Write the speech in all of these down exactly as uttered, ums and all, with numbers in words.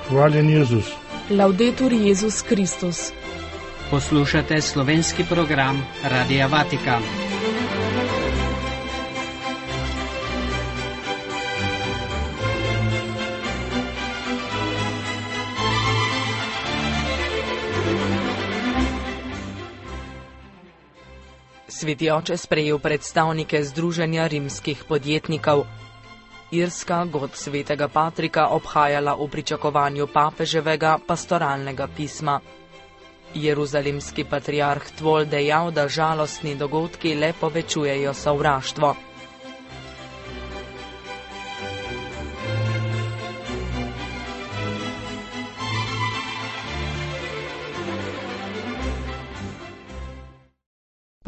Hvaljen Jezus. Laudetur Jezus Kristus. Poslušate slovenski program Radia Vatikan. Sveti oče sprejel predstavnike Združenja rimskih podjetnikov. Irska god svetega Patrika obhajala v pričakovanju papeževega pastoralnega pisma. Jeruzalemski patriarh Tvol dejal, da žalostni dogodki le povečujejo sovraštvo.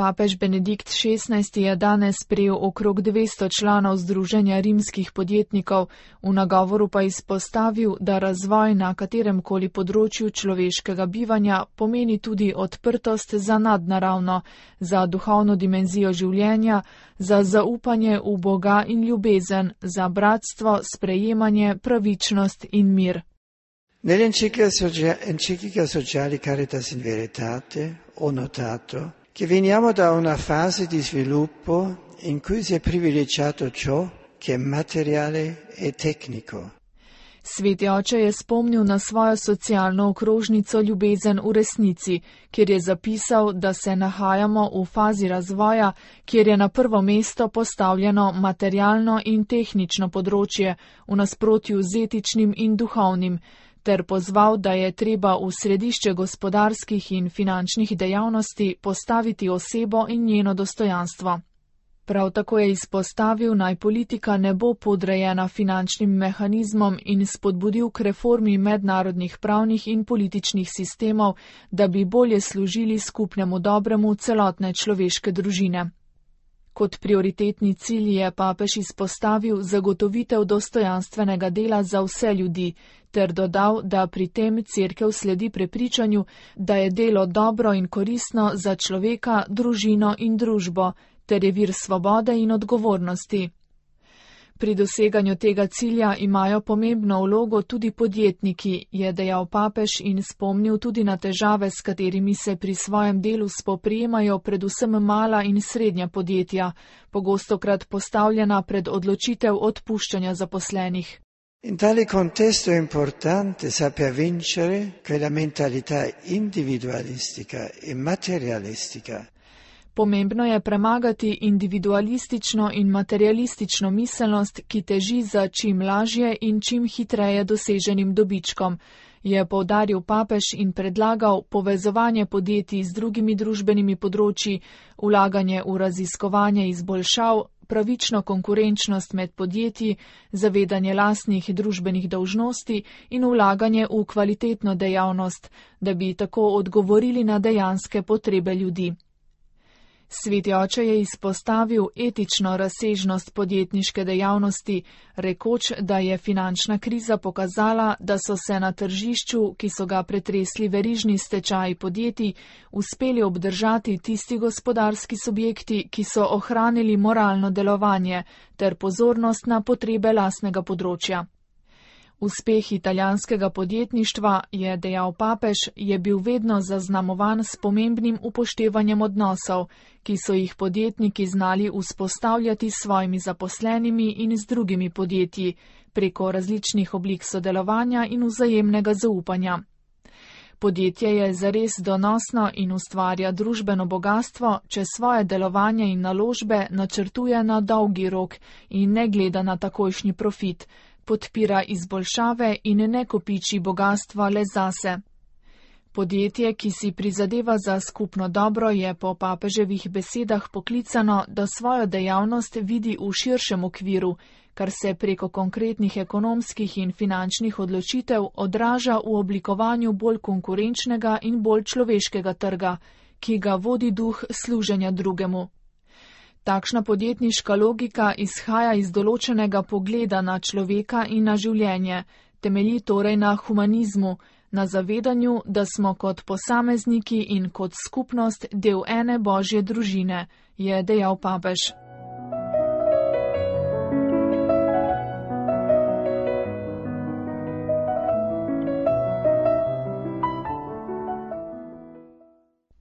Papež Benedikt šestnajsti je danes sprejel okrog dvesto članov Združenja rimskih podjetnikov, v nagovoru pa izpostavil, da razvoj na kateremkoli področju človeškega bivanja pomeni tudi odprtost za nadnaravno, za duhovno dimenzijo življenja, za zaupanje v Boga in ljubezen, za bratstvo, sprejemanje, pravičnost in mir. Nell'enciclica Sociali Caritas in Veritate ho notato che veniamo da una fase di sviluppo in cui si è privilegiato ciò che è materiale e tecnico. Sveti oče je spomnil na svojo socialno okrožnico Ljubezen v resnici, kjer je zapisal, da se nahajamo v fazi razvoja, kjer je na prvo mesto postavljeno materialno in tehnično področje, v nasprotju z etičnim in duhovnim, ter pozval, da je treba v središče gospodarskih in finančnih dejavnosti postaviti osebo in njeno dostojanstvo. Prav tako je izpostavil, naj politika ne bo podrejena finančnim mehanizmom in spodbudil k reformi mednarodnih pravnih in političnih sistemov, da bi bolje služili skupnemu dobremu celotne človeške družine. Kot prioritetni cilj je papež izpostavil zagotovitev dostojanstvenega dela za vse ljudi, ter dodal, da pri tem Cerkev sledi prepričanju, da je delo dobro in koristno za človeka, družino in družbo, ter je vir svobode in odgovornosti. Pri doseganju tega cilja imajo pomembno vlogo tudi podjetniki, je dejal papež in spomnil tudi na težave, s katerimi se pri svojem delu spoprijemajo predvsem mala in srednja podjetja, pogostokrat postavljena pred odločitev odpuščanja zaposlenih. In tale contesto è importante saper vincere quella mentalità individualistica e materialistica. Pomembno je premagati individualistično in materialistično miselnost, ki teži za čim lažje in čim hitreje doseženim dobičkom, je poudaril papež in predlagal povezovanje podjetij z drugimi družbenimi področji, vlaganje v raziskovanje izboljšav, pravično konkurenčnost med podjetji, zavedanje lastnih družbenih dolžnosti in vlaganje v kvalitetno dejavnost, da bi tako odgovorili na dejanske potrebe ljudi. Sveti oče je izpostavil etično razsežnost podjetniške dejavnosti, rekoč, da je finančna kriza pokazala, da so se na tržišču, ki so ga pretresli verižni stečaji podjetij, uspeli obdržati tisti gospodarski subjekti, ki so ohranili moralno delovanje ter pozornost na potrebe lastnega področja. Uspeh italijanskega podjetništva, je dejal papež, je bil vedno zaznamovan s pomembnim upoštevanjem odnosov, ki so jih podjetniki znali vzpostavljati s svojimi zaposlenimi in z drugimi podjetji, preko različnih oblik sodelovanja in vzajemnega zaupanja. Podjetje je zares donosno in ustvarja družbeno bogastvo, če svoje delovanje in naložbe načrtuje na dolgi rok in ne gleda na takojšnji profit, podpira izboljšave in ne kopiči bogastva le zase. Podjetje, ki si prizadeva za skupno dobro, je po papeževih besedah poklicano, da svojo dejavnost vidi v širšem okviru, kar se preko konkretnih ekonomskih in finančnih odločitev odraža v oblikovanju bolj konkurenčnega in bolj človeškega trga, ki ga vodi duh služenja drugemu. Takšna podjetniška logika izhaja iz določenega pogleda na človeka in na življenje, temelji torej na humanizmu, na zavedanju, da smo kot posamezniki in kot skupnost del ene božje družine, je dejal papež.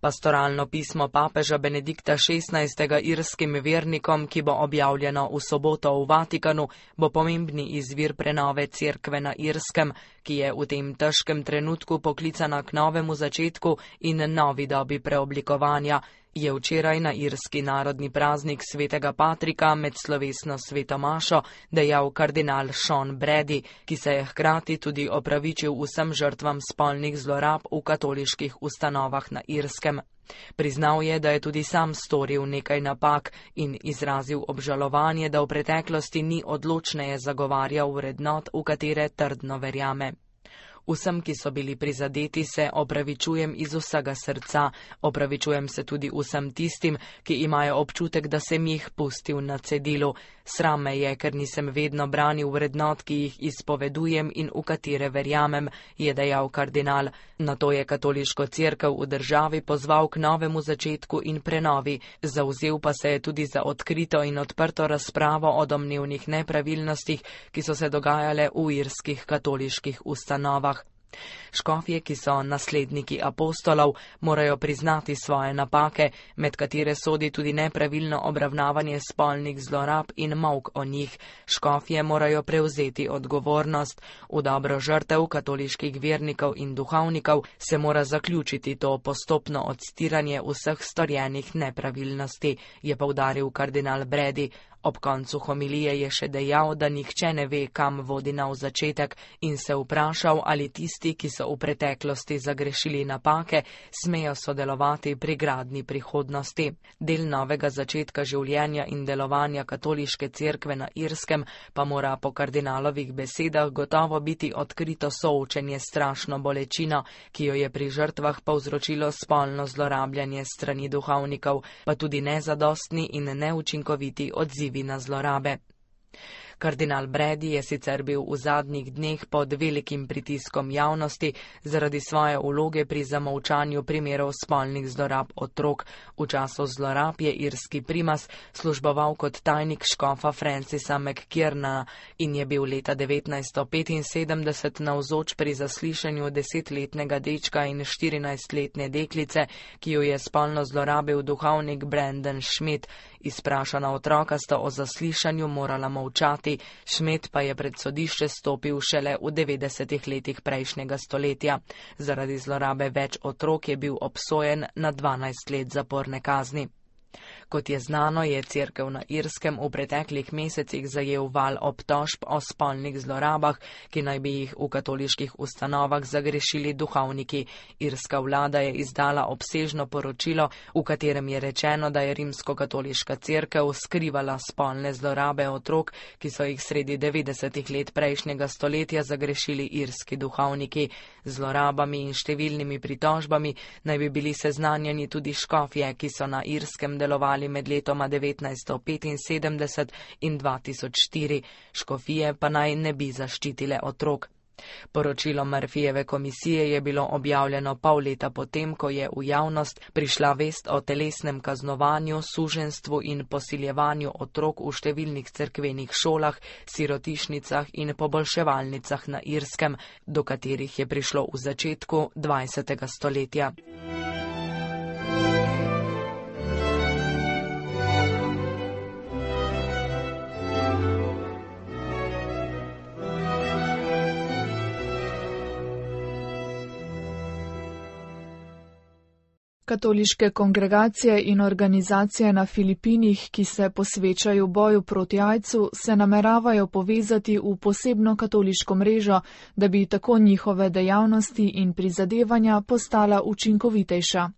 Pastoralno pismo papeža Benedikta šestnajstega irskim vernikom, ki bo objavljeno v soboto v Vatikanu, bo pomembni izvir prenove cerkve na Irskem, ki je v tem težkem trenutku poklicana k novemu začetku in novi dobi preoblikovanja, je včeraj na irski narodni praznik svetega Patrika med slovesno sveto mašo dejal kardinal Sean Brady, ki se je hkrati tudi opravičil vsem žrtvam spolnih zlorab v katoliških ustanovah na Irskem. Priznal je, da je tudi sam storil nekaj napak in izrazil obžalovanje, da v preteklosti ni odločneje zagovarjal vrednot, v katere trdno verjame. Vsem, ki so bili prizadeti, se opravičujem iz vsega srca, opravičujem se tudi vsem tistim, ki imajo občutek, da sem jih pustil na cedilu. Sram me je, ker nisem vedno branil vrednot, ki jih izpovedujem in v katere verjamem, je dejal kardinal. Nato je katoliško cerkev v državi pozval k novemu začetku in prenovi, zavzel pa se je tudi za odkrito in odprto razpravo o domnevnih nepravilnostih, ki so se dogajale v irskih katoliških ustanovah. Škofje, ki so nasledniki apostolov, morajo priznati svoje napake, med katere sodi tudi nepravilno obravnavanje spolnih zlorab in molk o njih. Škofje morajo prevzeti odgovornost. V dobro žrtev katoliških vernikov in duhovnikov se mora zaključiti to postopno odstiranje vseh storjenih nepravilnosti, je poudaril kardinal Brady. Ob koncu homilije je še dejal, da nihče ne ve, kam vodi nov začetek, in se vprašal, ali tisti, ki so v preteklosti zagrešili napake, smejo sodelovati pri gradnji prihodnosti. Del novega začetka življenja in delovanja katoliške cerkve na Irskem pa mora po kardinalovih besedah gotovo biti odkrito soočenje s strašno bolečino, ki jo je pri žrtvah povzročilo spolno zlorabljanje strani duhovnikov, pa tudi nezadostni in neučinkoviti odziv na zlorabe. Kardinal Brady je sicer bil v zadnjih dneh pod velikim pritiskom javnosti zaradi svoje vloge pri zamolčanju primerov spolnih zlorab otrok. V času zlorab je irski primas služboval kot tajnik škofa Francisa McKierna in je bil leta devetnajststo petinsedemdeset navzoč pri zaslišanju desetletnega dečka in štirinajstletne deklice, ki jo je spolno zlorabil duhovnik Brandon Schmidt. Izprašana otroka sta o zaslišanju morala molčati, Schmidt pa je pred sodišče stopil šele v devetdesetih letih prejšnjega stoletja. Zaradi zlorabe več otrok je bil obsojen na dvanajst let zaporne kazni. Kot je znano, je cerkev na Irskem v preteklih mesecih zajel val obtožb o spolnih zlorabah, ki naj bi jih v katoliških ustanovah zagrešili duhovniki. Irska vlada je izdala obsežno poročilo, v katerem je rečeno, da je rimskokatoliška cerkev skrivala spolne zlorabe otrok, ki so jih sredi devetdesetih let prejšnjega stoletja zagrešili irski duhovniki. Zlorabami in številnimi pritožbami naj bi bili seznanjeni tudi škofje, ki so na Irskem delovali med letoma devetnajststo petinsedemdeset in dva tisoč štiri, škofije pa naj ne bi zaščitile otrok. Poročilo Murphyjeve komisije je bilo objavljeno pol leta potem, ko je v javnost prišla vest o telesnem kaznovanju, suženjstvu in posiljevanju otrok v številnih cerkvenih šolah, sirotišnicah in poboljševalnicah na Irskem, do katerih je prišlo v začetku dvajsetega stoletja. Katoliške kongregacije in organizacije na Filipinih, ki se posvečajo boju proti aidsu, se nameravajo povezati v posebno katoliško mrežo, da bi tako njihove dejavnosti in prizadevanja postala učinkovitejša.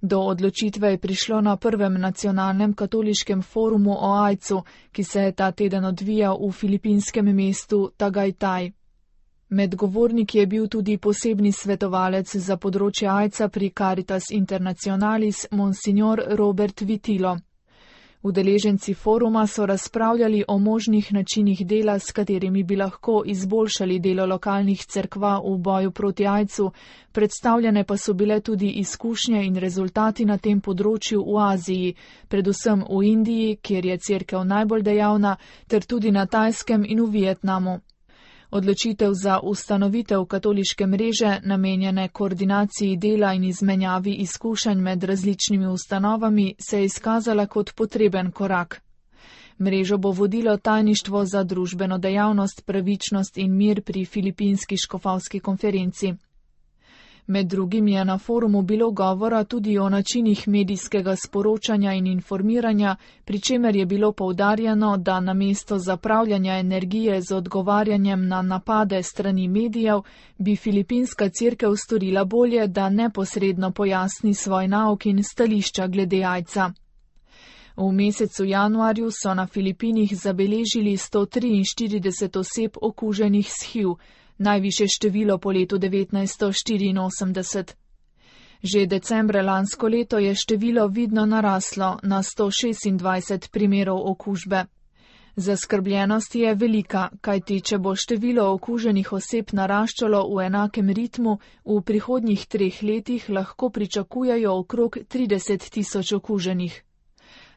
Do odločitve je prišlo na prvem nacionalnem katoliškem forumu o aidsu, ki se je ta teden odvijal v filipinskem mestu Tagaytay. Med govorniki je bil tudi posebni svetovalec za področje aidsa pri Caritas Internationalis, monsignor Robert Vitilo. Udeleženci foruma so razpravljali o možnih načinih dela, s katerimi bi lahko izboljšali delo lokalnih cerkva v boju proti aidsu, predstavljene pa so bile tudi izkušnje in rezultati na tem področju v Aziji, predvsem v Indiji, kjer je cerkev najbolj dejavna, ter tudi na Tajskem in v Vietnamu. Odločitev za ustanovitev katoliške mreže, namenjene koordinaciji dela in izmenjavi izkušenj med različnimi ustanovami, se je izkazala kot potreben korak. Mrežo bo vodilo tajništvo za družbeno dejavnost, pravičnost in mir pri Filipinski škofovski konferenci. Med drugim je na forumu bilo govora tudi o načinih medijskega sporočanja in informiranja, pri čemer je bilo poudarjeno, da namesto zapravljanja energije z odgovarjanjem na napade strani medijev, bi Filipinska cerkev storila bolje, da neposredno pojasni svoj nauk in stališča glede aidsa. V mesecu januarju so na Filipinih zabeležili sto triinštirideset oseb okuženih s H I V, najvišje število po letu devetnajststo štiriinosemdeset. Že decembra lansko leto je število vidno naraslo na sto šestindvajset primerov okužbe. Zaskrbljenost je velika, kajti če bo število okuženih oseb naraščalo v enakem ritmu, v prihodnjih treh letih lahko pričakujejo okrog trideset tisoč okuženih.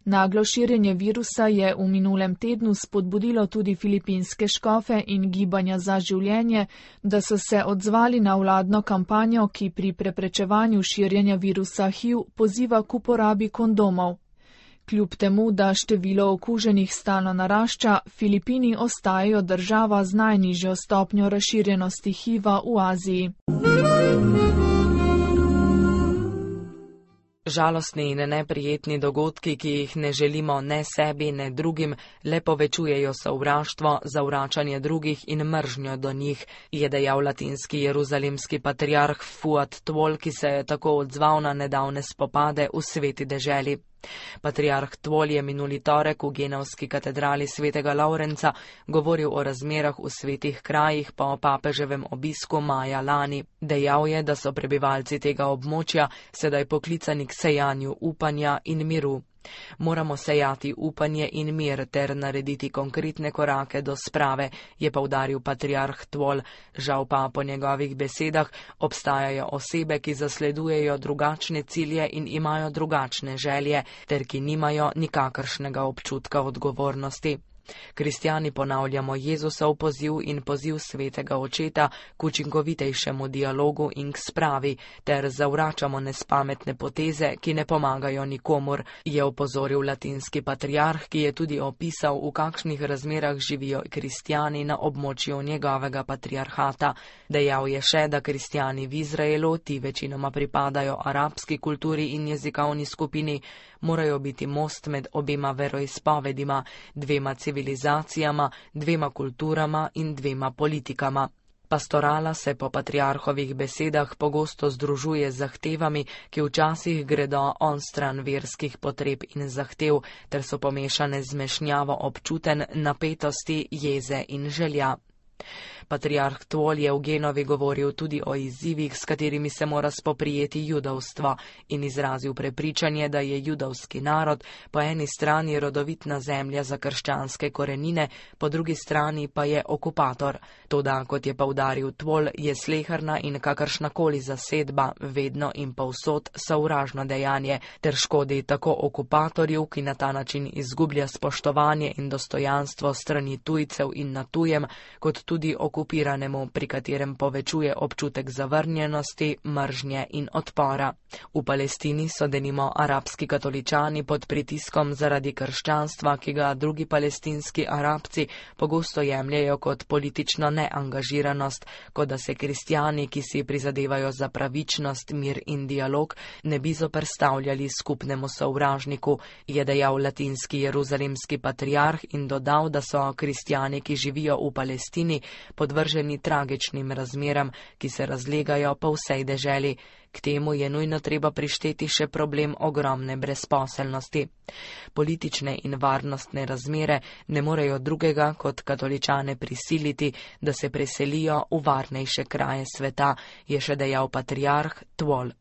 Naglo širjenje virusa je v minulem tednu spodbudilo tudi filipinske škofe in gibanja za življenje, da so se odzvali na vladno kampanjo, ki pri preprečevanju širjenja virusa H I V poziva k uporabi kondomov. Kljub temu, da število okuženih stalno narašča, Filipini ostajajo država z najnižjo stopnjo razširjenosti H I V-a v Aziji. Žalostni in neprijetni dogodki, ki jih ne želimo ne sebi, ne drugim, le povečujejo sovraštvo, zavračanje drugih in mržnjo do njih, je dejal latinski jeruzalemski patriarh Fuad Tvol, ki se je tako odzval na nedavne spopade v Sveti deželi. Patriarh Tvol je minuli torek v Genevski katedrali svetega Lavrenca govoril o razmerah v svetih krajih po papeževem obisku maja lani. Dejal je, da so prebivalci tega območja sedaj poklicani k sejanju upanja in miru. Moramo sejati upanje in mir ter narediti konkretne korake do sprave, je poudaril patriarh Tvol. Žal pa po njegovih besedah obstajajo osebe, ki zasledujejo drugačne cilje in imajo drugačne želje, ter ki nimajo nikakršnega občutka odgovornosti. Kristjani ponavljamo Jezusov poziv in poziv svetega očeta k učinkovitejšemu dialogu in k spravi, ter zavračamo nespametne poteze, ki ne pomagajo nikomur, je opozoril latinski patriarh, ki je tudi opisal, v kakšnih razmerah živijo kristjani na območju njegovega patriarhata. Dejal je še, da kristjani v Izraelu, ti večinoma pripadajo arabski kulturi in jezikovni skupini, morajo biti most med obema veroizpovedima, dvema civilizacijama, dvema kulturama in dvema politikama. Pastorala se po patriarhovih besedah pogosto združuje z zahtevami, ki včasih gredo onstran verskih potreb in zahtev, ter so pomešane z zmešnjavo občutenj, napetosti, jeze in želja. Patriarh Tvol je v Genovi govoril tudi o izzivih, s katerimi se mora spoprijeti judovstvo, in izrazil prepričanje, da je judovski narod po eni strani rodovitna zemlja za krščanske korenine, po drugi strani pa je okupator. Toda, kot je poudaril Tvol, je sleherna in kakršnakoli zasedba vedno in povsod sovražno dejanje, ter škodi tako okupatorju, ki na ta način izgublja spoštovanje in dostojanstvo strani tujcev in na tujem, kot tudi okupiranemu, pri katerem povečuje občutek zavrnjenosti, mržnje in odpora. V Palestini so denimo arabski katoličani pod pritiskom zaradi krščanstva, ki ga drugi palestinski Arabci pogosto jemljajo kot politično neangažiranost, kot da se kristjani, ki si prizadevajo za pravičnost, mir in dialog, ne bi zoperstavljali skupnemu sovražniku, je dejal latinski jeruzalemski patriarh in dodal, da so kristjani, ki živijo v Palestini, podvrženi tragičnim razmeram, ki se razlegajo po vsej deželi. K temu je nujno treba prišteti še problem ogromne brezposelnosti. Politične in varnostne razmere ne morejo drugega kot katoličane prisiliti, da se preselijo v varnejše kraje sveta, je še dejal patriarh Tvol.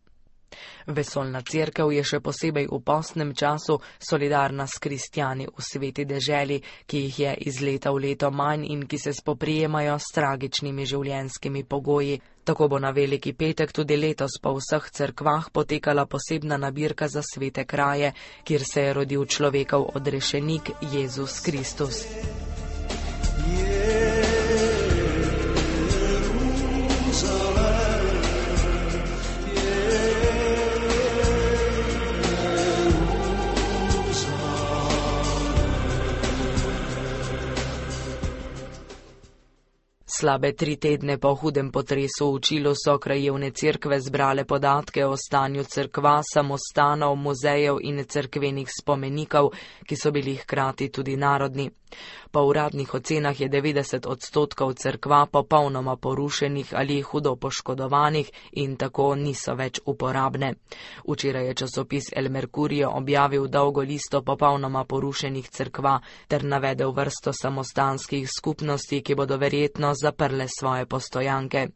Vesoljna cerkev je še posebej v postnem času solidarna s kristjani v sveti deželi, ki jih je iz leta v leto manj in ki se spoprijemajo s tragičnimi življenjskimi pogoji. Tako bo na Veliki petek tudi letos po vseh cerkvah potekala posebna nabirka za svete kraje, kjer se je rodil človekov odrešenik Jezus Kristus. Yeah. Slabe tri tedne po hudem potresu v Čilu so krajevne cerkve zbrale podatke o stanju cerkva, samostanov, muzejev in cerkvenih spomenikov, ki so bili hkrati tudi narodni. Po uradnih ocenah je devetdeset odstotkov cerkva popolnoma porušenih ali hudo poškodovanih in tako niso več uporabne. Včeraj je časopis El Mercurio objavil dolgo listo popolnoma porušenih cerkva ter navedel vrsto samostanskih skupnosti, ki bodo verjetno zaprle svoje postojanke.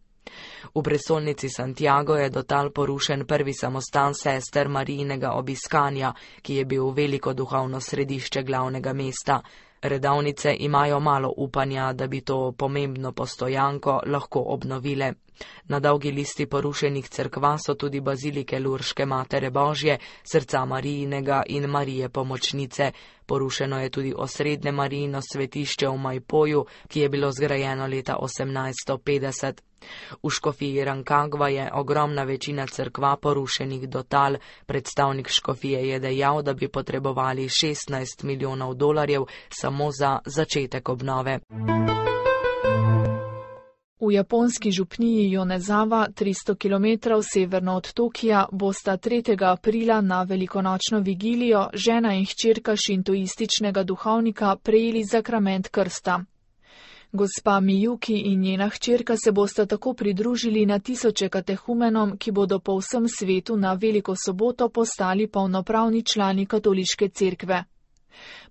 V prestolnici Santiago je do tal porušen prvi samostan sester Marijinega obiskanja, ki je bil veliko duhovno središče glavnega mesta. Redovnice imajo malo upanja, da bi to pomembno postojanko lahko obnovile. Na dolgi listi porušenih cerkva so tudi bazilike Lurške Matere Božje, Srca Marijinega in Marije Pomočnice. Porušeno je tudi osrednje Marijino svetišče v Maipoju, ki je bilo zgrajeno leta osemnajststo petdeset. V škofiji Rancagua je ogromna večina cerkva porušenih do tal. Predstavnik škofije je dejal, da bi potrebovali šestnajst milijonov dolarjev samo za začetek obnove. V japonski župniji Jonezawa, tristo kilometrov severno od Tokija, bosta tretjega aprila na velikonočno vigilijo žena in hčerka šintoističnega duhovnika prejeli zakrament krsta. Gospa Miyuki in njena hčerka se bosta tako pridružili na tisoče katehumenom, ki bodo po vsem svetu na Veliko soboto postali polnopravni člani katoliške cerkve.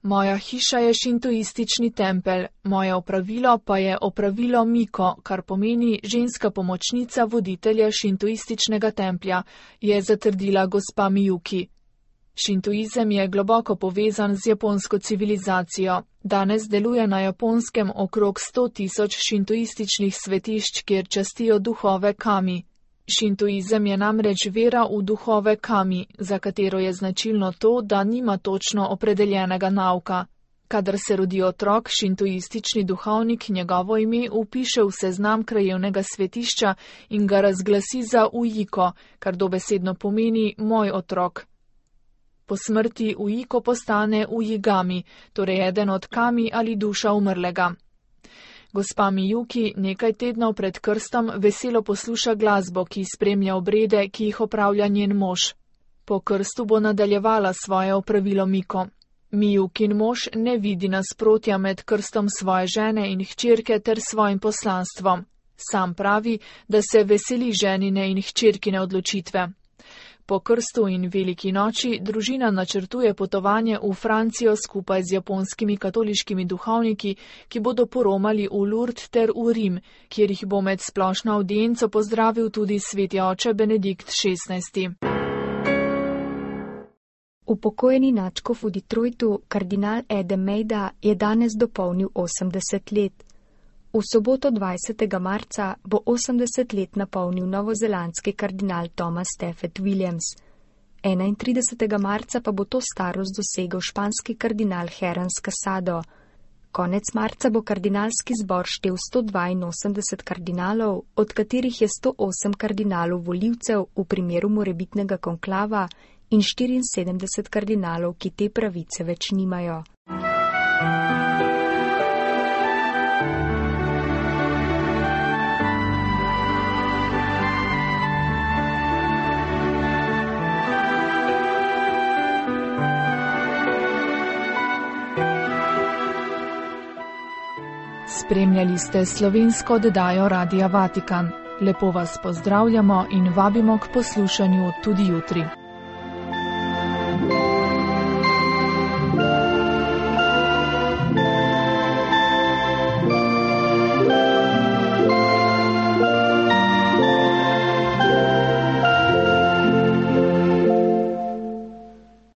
Moja hiša je šintoistični tempelj, moje opravilo pa je opravilo Miko, kar pomeni ženska pomočnica voditelja šintoističnega templja, je zatrdila gospa Miyuki. Šintoizem je globoko povezan z japonsko civilizacijo. Danes deluje na Japonskem okrog sto tisoč šintoističnih svetišč, kjer častijo duhove kami. Šintoizem je namreč vera v duhove kami, za katero je značilno to, da nima točno opredeljenega nauka. Kadar se rodi otrok, šintoistični duhovnik njegovo ime vpiše v seznam krajevnega svetišča in ga razglasi za ujiko, kar dobesedno pomeni moj otrok. Po smrti ujiko postane ujigami, torej eden od kami ali duša umrlega. Gospa Miyuki nekaj tednov pred krstom veselo posluša glasbo, ki spremlja obrede, ki jih opravlja njen mož. Po krstu bo nadaljevala svoje opravilo Miko. Miyukin mož ne vidi nasprotja med krstom svoje žene in hčerke ter svojim poslanstvom. Sam pravi, da se veseli ženine in hčerkine odločitve. Po krstu in veliki noči družina načrtuje potovanje v Francijo skupaj z japonskimi katoliškimi duhovniki, ki bodo poromali v Lourdes ter v Rim, kjer jih bo med splošno avdienco pozdravil tudi sveti oče Benedikt šestnajsti. Upokojeni nadškof v Detroitu, kardinal Adam Mejda, je danes dopolnil osemdeset let. V soboto dvajsetega marca bo osemdeset let napolnil novozelandski kardinal Thomas Stafford Williams. enaintridesetega marca pa bo to starost dosegel španski kardinal Herans Casado. Konec marca bo kardinalski zbor štel sto dvainosemdeset kardinalov, od katerih je sto osem kardinalov volivcev v primeru morebitnega konklava in štiriinsedemdeset kardinalov, ki te pravice več nimajo. Spremljali ste slovensko oddajo Radia Vatikan. Lepo vas pozdravljamo in vabimo k poslušanju tudi jutri.